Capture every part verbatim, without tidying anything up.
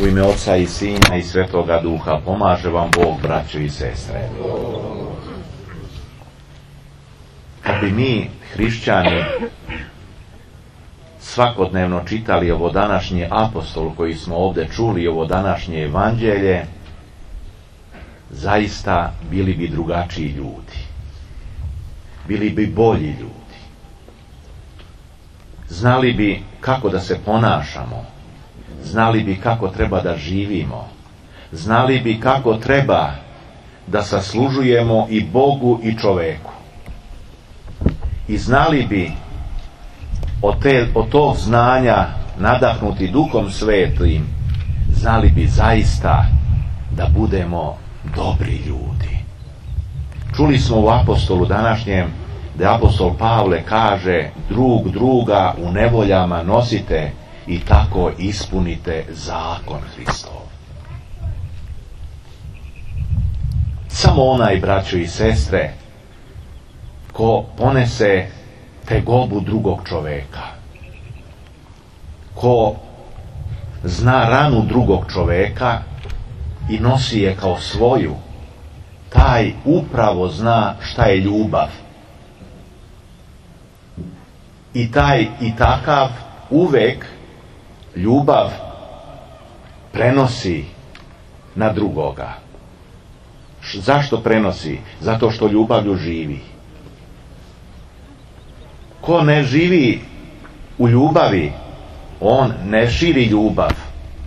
U ime Oca i Sina i Svetoga Duha pomaže vam Bog, braćo i sestre. Kad bi mi, hrišćani, svakodnevno čitali ovo današnje apostol koji smo ovdje čuli, ovo današnje evanđelje, zaista bili bi drugačiji ljudi. Bili bi bolji ljudi. Znali bi kako da se ponašamo. Znali bi kako treba da živimo. Znali bi kako treba da saslužujemo i Bogu i čoveku. I znali bi od, te, od tog znanja nadahnuti Duhom Svetim, znali bi zaista da budemo dobri ljudi. Čuli smo u apostolu današnjem da apostol Pavle kaže: drug druga u nevoljama nosite i tako ispunite zakon Hristov. Samo onaj, braćo i sestre, ko ponese tegobu drugog čoveka, ko zna ranu drugog čoveka i nosi je kao svoju, taj upravo zna šta je ljubav. I taj i takav uvek ljubav prenosi na drugoga. Zašto prenosi? Zato što ljubavlju živi. Ko ne živi u ljubavi, on ne širi ljubav.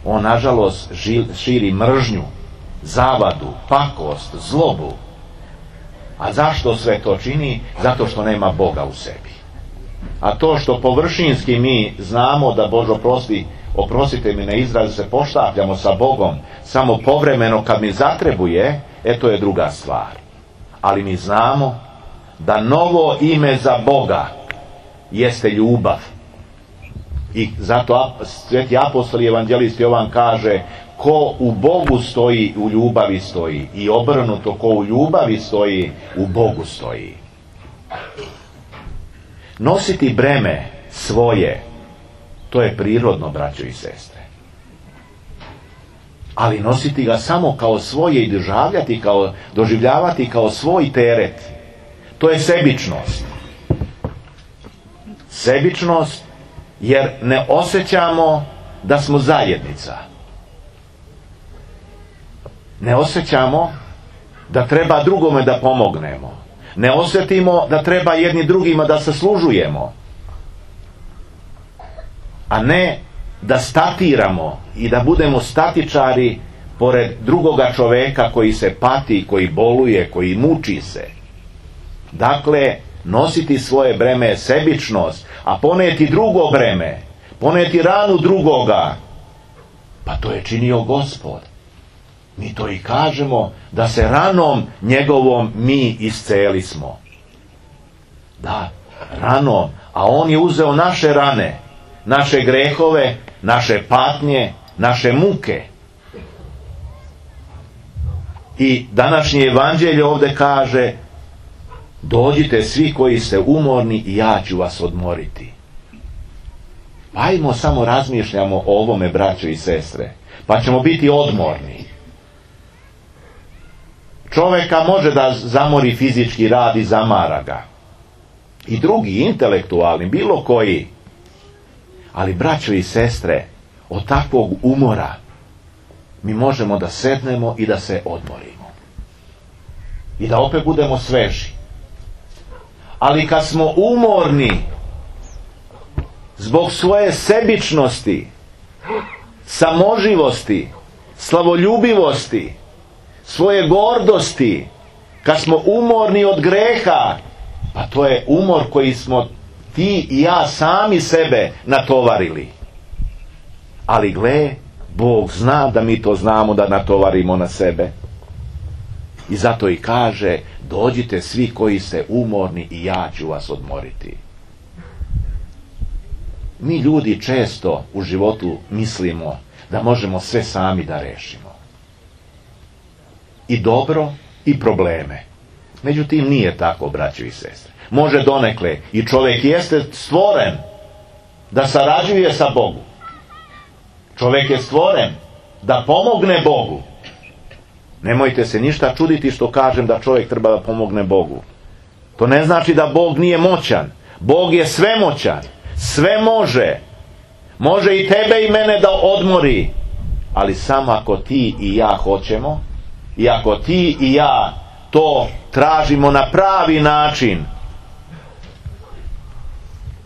On, nažalost, širi mržnju, zavadu, pakost, zlobu. A zašto sve to čini? Zato što nema Boga u sebi. A to što površinski mi znamo da Bože oprosti, oprostite mi na izraz, se poštapljamo sa Bogom samo povremeno kad mi zatrebuje, e to je druga stvar. Ali mi znamo da novo ime za Boga jeste ljubav. I zato sveti apostol i evanđelist Jovan kaže: ko u Bogu stoji, u ljubavi stoji. I obrnuto, ko u ljubavi stoji, u Bogu stoji. Nositi breme svoje, to je prirodno, braćo i sestre. Ali nositi ga samo kao svoje i doživljavati kao, doživljavati kao svoj teret, to je sebičnost. Sebičnost jer ne osjećamo da smo zajednica. Ne osjećamo da treba drugome da pomognemo. Ne osjetimo da treba jedni drugima da saslužujemo. A ne da statiramo i da budemo statičari pored drugoga čoveka koji se pati, koji boluje, koji muči se. Dakle, nositi svoje breme je sebičnost, a poneti drugo breme, poneti ranu drugoga, pa to je činio Gospod. Mi to i kažemo, da se ranom njegovom mi isceli smo. Da, ranom, a on je uzeo naše rane, naše grehove, naše patnje, naše muke. I današnje evanđelje ovdje kaže: dođite svi koji ste umorni i ja ću vas odmoriti. Ajmo samo razmišljamo o ovome, braćo i sestre, pa ćemo biti odmorni. Čovjeka može da zamori fizički rad i zamara ga. I drugi, intelektualni, bilo koji. Ali, braćo i sestre, od takvog umora mi možemo da sednemo i da se odmorimo. I da opet budemo sveži. Ali kad smo umorni zbog svoje sebičnosti, samoživosti, slavoljubivosti, svoje gordosti, kad smo umorni od greha, pa to je umor koji smo ti i ja sami sebe natovarili. Ali gle, Bog zna da mi to znamo da natovarimo na sebe. I zato i kaže: dođite svi koji ste umorni i ja ću vas odmoriti. Mi ljudi često u životu mislimo da možemo sve sami da rešimo. I dobro i probleme. Međutim, nije tako, braćo i sestre. Može donekle, i čovjek jeste stvoren da sarađuje sa Bogom. Čovjek je stvoren da pomogne Bogu. Nemojte se ništa čuditi što kažem da čovjek treba da pomogne Bogu. To ne znači da Bog nije moćan. Bog je svemoćan. Sve može. Može i tebe i mene da odmori. Ali samo ako ti i ja hoćemo, i ako ti i ja to tražimo na pravi način.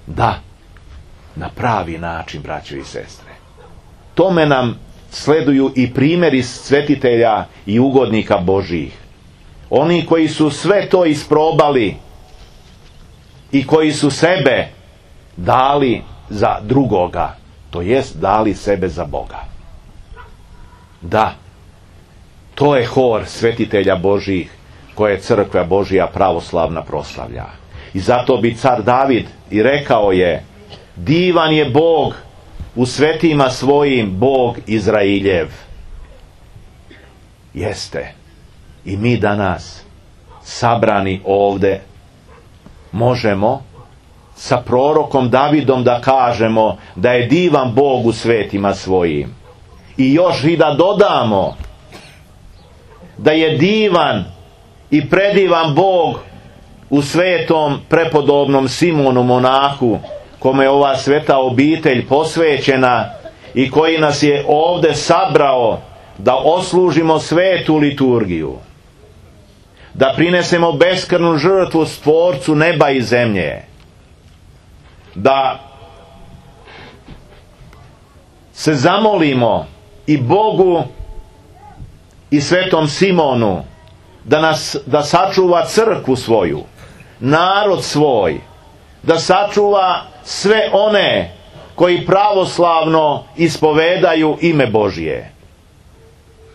Da, na pravi način, braćo i sestre. Tome nam sleduju i primjeri svetitelja i ugodnika Božjih. Oni koji su sve to isprobali i koji su sebe dali za drugoga, to jest dali sebe za Boga. Da, to je hor svetitelja Božjih koje crkva Božja pravoslavna proslavlja. I zato bi car David i rekao je: divan je Bog u svetima svojim, Bog Izrailjev. Jeste. I mi danas sabrani ovde možemo sa prorokom Davidom da kažemo da je divan Bog u svetima svojim. I još i da dodamo da je divan i predivan Bog u svetom prepodobnom Simonu monahu, kome je ova sveta obitelj posvećena i koji nas je ovde sabrao da oslužimo svetu liturgiju, da prinesemo beskrvnu žrtvu Stvorcu neba i zemlje, da se zamolimo i Bogu i svetom Simonu da nas da sačuva crkvu svoju, narod svoj, da sačuva sve one koji pravoslavno ispovedaju ime Božje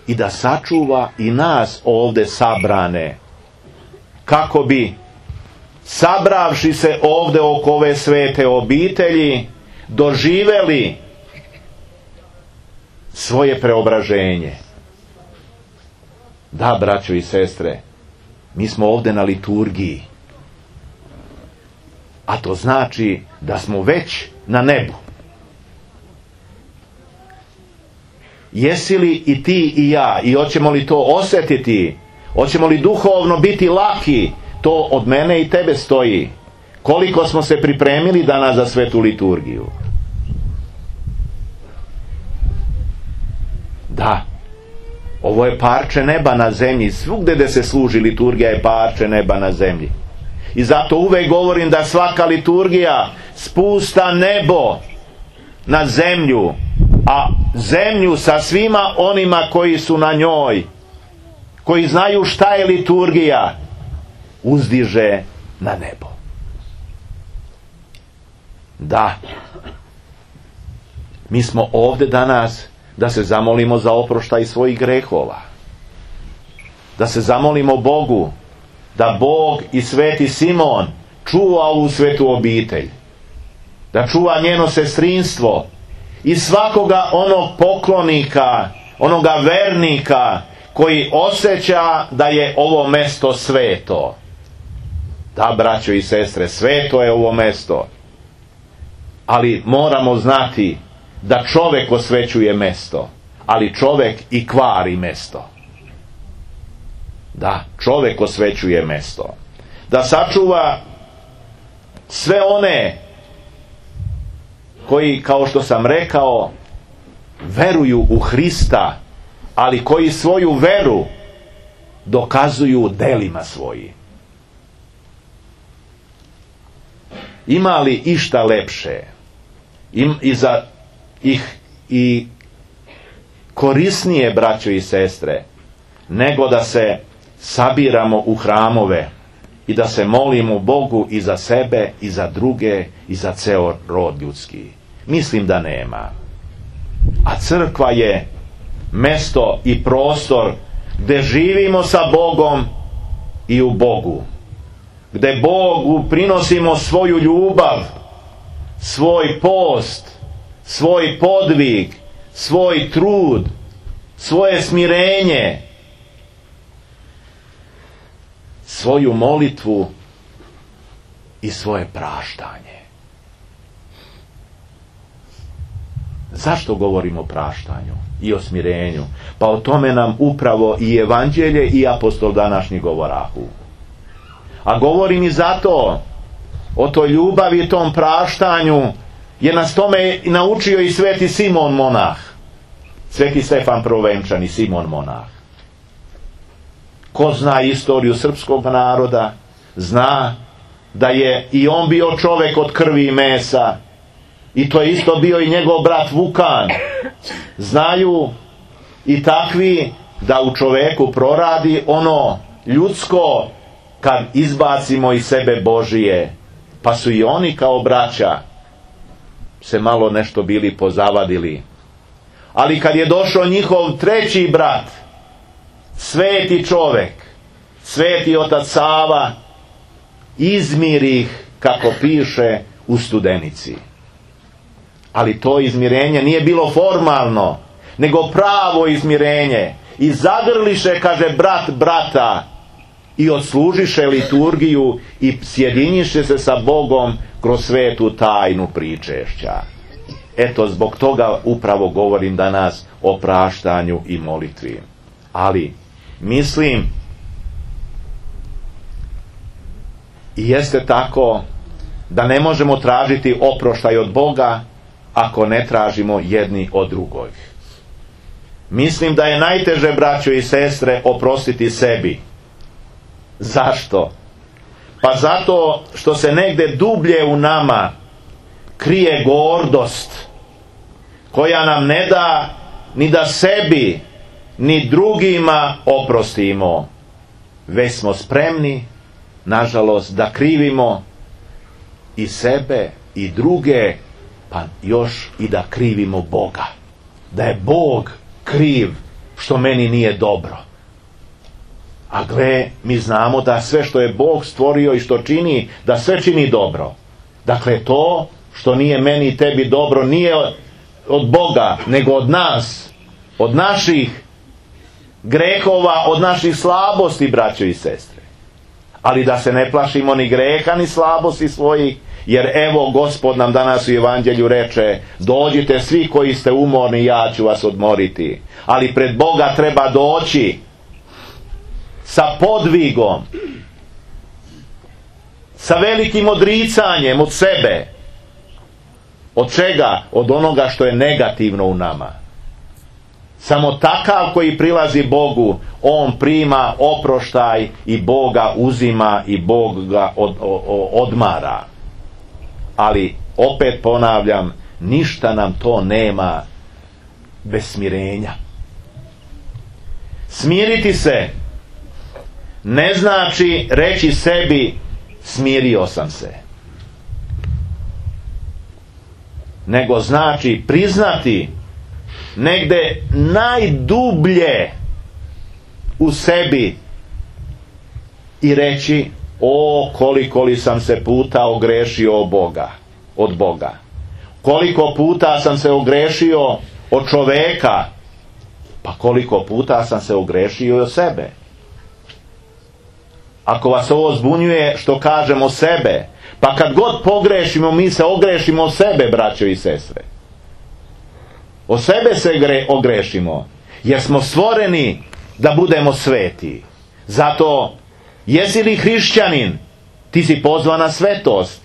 i da sačuva i nas ovde sabrane, kako bi, sabravši se ovde oko ove svete obitelji, doživeli svoje preobraženje. Da, braćo i sestre, mi smo ovde na liturgiji, a to znači da smo već na nebu. Jesi li i ti i ja, i hoćemo li to osjetiti, hoćemo li duhovno biti laki, to od mene i tebe stoji. Koliko smo se pripremili danas za svetu liturgiju. Da, ovo je parče neba na zemlji. Svugde gde se služi liturgija je parče neba na zemlji. I zato uvek govorim da svaka liturgija spusta nebo na zemlju, a zemlju sa svima onima koji su na njoj, koji znaju šta je liturgija, uzdiže na nebo. Da, mi smo ovde danas da se zamolimo za oproštaj svojih grehova, da se zamolimo Bogu da Bog i sveti Simon čuva ovu svetu obitelj, da čuva njeno sestrinstvo i svakoga onog poklonika, onoga vernika koji osjeća da je ovo mesto sveto. Da, braćo i sestre, sveto je ovo mesto, ali moramo znati da čovek osvećuje mesto, ali čovek i kvari mesto. Da, čovek osvećuje mesto. Da sačuva sve one koji, kao što sam rekao, veruju u Hrista, ali koji svoju veru dokazuju delima svojim. Ima li išta lepše im, i za ih i korisnije, braćo i sestre, nego da se sabiramo u hramove i da se molimo Bogu i za sebe i za druge i za ceo rod ljudski? Mislim da nema. A crkva je mesto i prostor gde živimo sa Bogom i u Bogu, gde Bogu prinosimo svoju ljubav, svoj post, svoj podvig, svoj trud, svoje smirenje, svoju molitvu i svoje praštanje. Zašto govorimo o praštanju i o smirenju? Pa o tome nam upravo i evanđelje i apostol današnji govorahu. A govorim i zato, o toj ljubavi i tom praštanju, jer nas tome naučio i sveti Simon monah, sveti Stefan Prvovenčan i Simon monah. Ko zna istoriju srpskog naroda, zna da je i on bio čovjek od krvi i mesa, i to je isto bio i njegov brat Vukan. Znaju i takvi da u čovjeku proradi ono ljudsko kad izbacimo iz sebe Božije. Pa su i oni kao braća se malo nešto bili pozavadili. Ali kad je došao njihov treći brat, sveti čovjek, sveti otac Sava, izmiri ih, kako piše u Studenici. Ali to izmirenje nije bilo formalno, nego pravo izmirenje. I zagrliše, kaže, brat brata, i odslužiše liturgiju i sjediniše se sa Bogom kroz svetu tajnu pričešća. Eto, zbog toga upravo govorim danas o praštanju i molitvi. Ali mislim, i jeste tako, da ne možemo tražiti oproštaj od Boga ako ne tražimo jedni od drugog. Mislim da je najteže, braćo i sestre, oprostiti sebi. Zašto? Pa zato što se negdje dublje u nama krije gordost koja nam ne da ni da sebi ni drugima oprostimo, već smo spremni, nažalost, da krivimo i sebe i druge, pa još i da krivimo Boga, da je Bog kriv što meni nije dobro. A gle, mi znamo da sve što je Bog stvorio i što čini, da sve čini dobro. Dakle, to što nije meni i tebi dobro nije od Boga, nego od nas, od naših grehova, od naših slabosti, braćo i sestre. Ali da se ne plašimo ni greha ni slabosti svojih, jer evo Gospod nam danas u evanđelju reče: dođite svi koji ste umorni, ja ću vas odmoriti. Ali pred Boga treba doći sa podvigom, sa velikim odricanjem od sebe. Od čega? Od onoga što je negativno u nama. Samo takav koji prilazi Bogu, on prima oproštaj i Boga uzima i Bog ga od, od, odmara. Ali opet ponavljam, ništa nam to nema bez smirenja. Smiriti se ne znači reći sebi smirio sam se, nego znači priznati negde najdublje u sebi i reći: o, koliko li sam se puta ogrešio od Boga, od Boga. Koliko puta sam se ogrešio od čoveka, pa koliko puta sam se ogrešio i od sebe. Ako vas ovo zbunjuje što kažemo sebe, pa kad god pogrešimo, mi se ogrešimo od sebe, braćo i sestre. O sebe se gre, ogrešimo, jer smo stvoreni da budemo sveti. Zato, jesi li hrišćanin, ti si pozvan na svetost.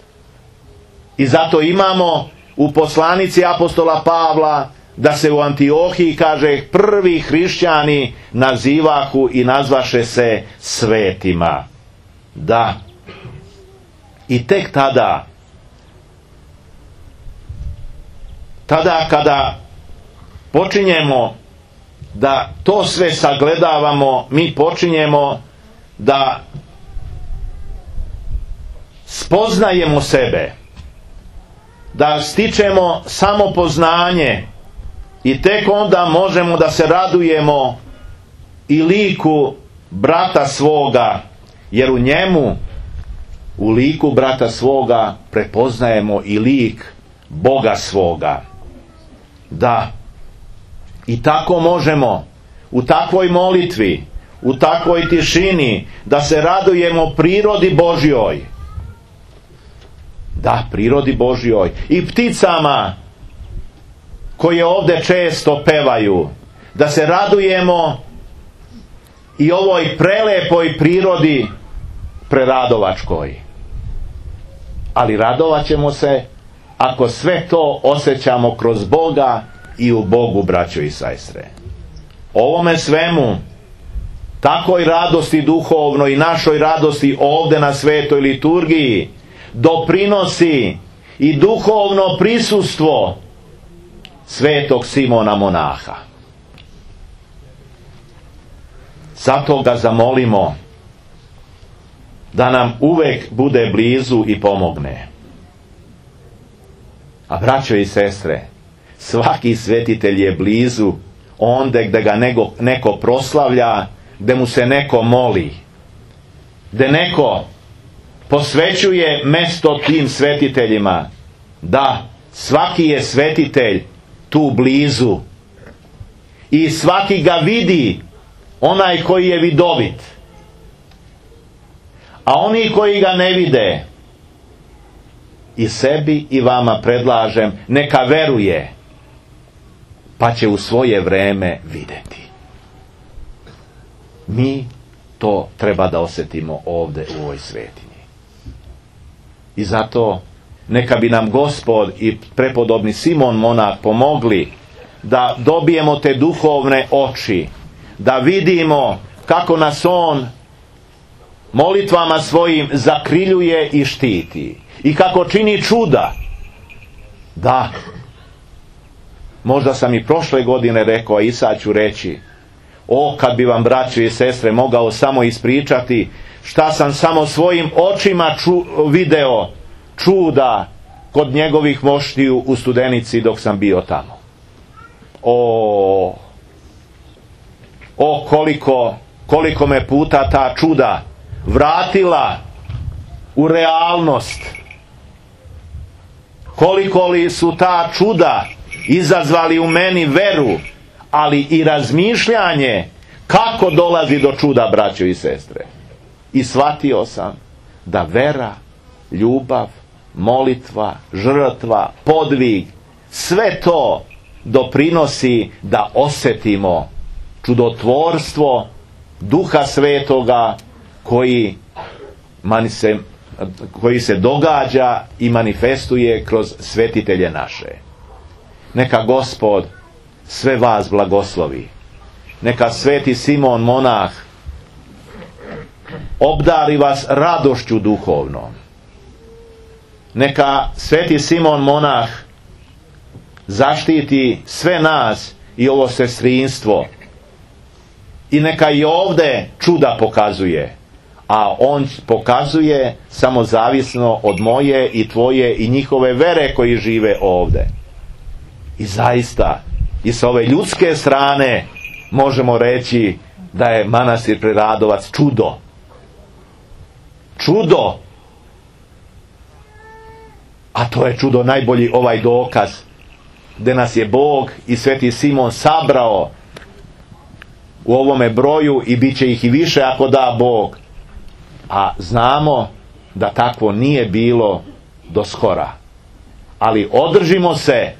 I zato imamo u poslanici apostola Pavla da se u Antiohiji, kaže, prvi hrišćani nazivahu i nazvaše se svetima. Da. I tek tada, tada kada počinjemo da to sve sagledavamo, mi počinjemo da spoznajemo sebe, da stičemo samopoznanje i tek onda možemo da se radujemo i liku brata svoga, jer u njemu, u liku brata svoga, prepoznajemo i lik Boga svoga. Da. I tako možemo u takvoj molitvi, u takvoj tišini, da se radujemo prirodi Božjoj. Da, prirodi Božjoj. I pticama koje ovdje često pevaju, da se radujemo i ovoj prelepoj prirodi preradovačkoj. Ali radovat ćemo se ako sve to osjećamo kroz Boga i u Bogu, braćo i sestre. Ovome svemu, takoj radosti duhovnoj i našoj radosti ovdje na svetoj liturgiji, doprinosi i duhovno prisustvo svetog Simona monaha. Zato ga zamolimo da nam uvek bude blizu i pomogne. A braćo i sestre, svaki svetitelj je blizu onde gde ga neko, neko proslavlja, gde mu se neko moli, gde neko posvećuje mesto tim svetiteljima. Da, svaki je svetitelj tu blizu i svaki ga vidi, onaj koji je vidovit. A oni koji ga ne vide, i sebi i vama predlažem, neka veruje, pa će u svoje vreme vidjeti. Mi to treba da osjetimo ovdje u ovoj svetinji. I zato neka bi nam Gospod i prepodobni Simon monah pomogli da dobijemo te duhovne oči, da vidimo kako nas on molitvama svojim zakriljuje i štiti i kako čini čuda. Da, možda sam i prošle godine rekao, a i sad ću reći, o, kad bi vam, braćo i sestre, mogao samo ispričati šta sam samo svojim očima ču, video čuda kod njegovih moštiju u Studenici dok sam bio tamo. O, o koliko, koliko me puta ta čuda vratila u realnost. Koliko li su ta čuda izazvali u meni veru, ali i razmišljanje kako dolazi do čuda, braćo i sestre. I shvatio sam da vera, ljubav, molitva, žrtva, podvig, sve to doprinosi da osjetimo čudotvorstvo Duha Svetoga koji, se, koji se događa i manifestuje kroz svetitelje naše. Neka Gospod sve vas blagoslovi. Neka sveti Simon monah obdari vas radošću duhovnom. Neka sveti Simon monah zaštiti sve nas i ovo sestrinstvo. I neka i ovdje čuda pokazuje. A on pokazuje samo zavisno od moje i tvoje i njihove vere koji žive ovdje. I zaista, i s ove ljudske strane možemo reći da je manastir Preradovac čudo. Čudo! A to je čudo najbolji ovaj dokaz, gdje nas je Bog i sveti Simon sabrao u ovome broju i bit će ih i više ako da Bog. A znamo da takvo nije bilo do skora. Ali održimo se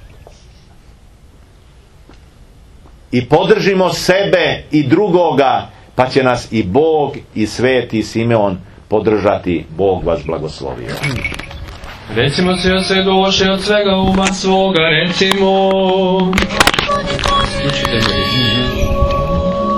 i podržimo sebe i drugoga, pa će nas i Bog i sveti Simeon podržati. Bog vas blagoslovio. Recimo se od sve duše, od svega uma svoga, recimo. Slučite me.